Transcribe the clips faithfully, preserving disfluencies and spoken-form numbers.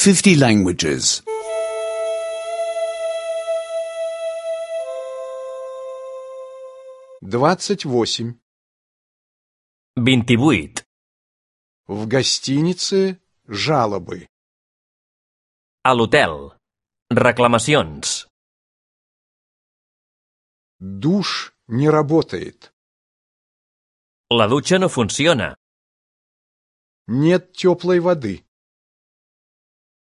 fifty languages. двадцать восемь. vint-i-vuit. В гостинице жалобы. A l'hotel. Reclamacions. Душ не работает. La dutxa no funciona. Нет теплой воды.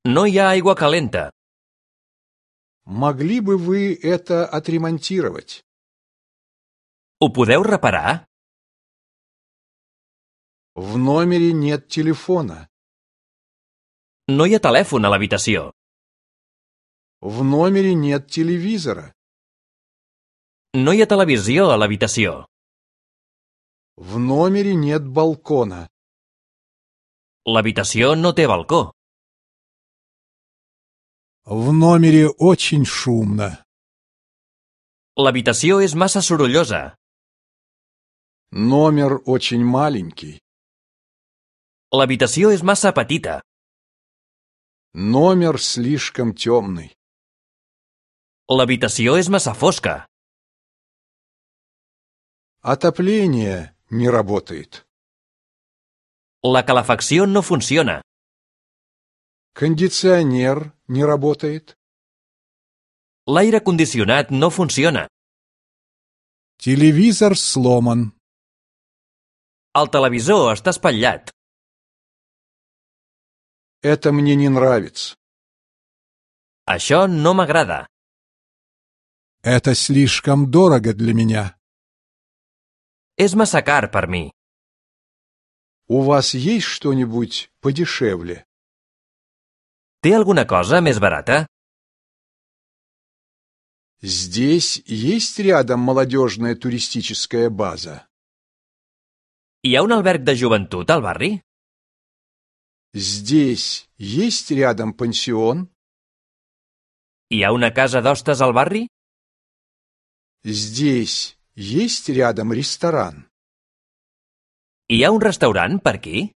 No hi ha aigua calenta. Могли бы вы это отремонтировать? Ho podeu reparar? В номере нет телефона. No hi ha telèfon a l'habitació. В номере нет телевизора. No hi ha televisió a l'habitació. В номере нет балкона. L'habitació no té balcó. В номере очень шумно. L'habitació és massa sorollosa. Номер очень маленький. L'habitació és massa petita. Номер слишком темный. L'habitació és massa fosca. Отопление не работает. La calefacció no funciona. Кондиционер не работает. L'aire condicionat no funciona. Телевизор сломан. El televisor està espatllat. Это мне не нравится. Això no m'agrada. Это слишком дорого для меня. És massa car per mi. У вас есть что-нибудь подешевле? Té alguna cosa més barata? Здесь есть рядом молодежная туристическая база? Hi ha un alberg de joventut al barri? Здесь есть рядом пансион? Hi ha una casa d'hostes al barri? Здесь есть рядом ресторан? Hi ha un restaurant per aquí?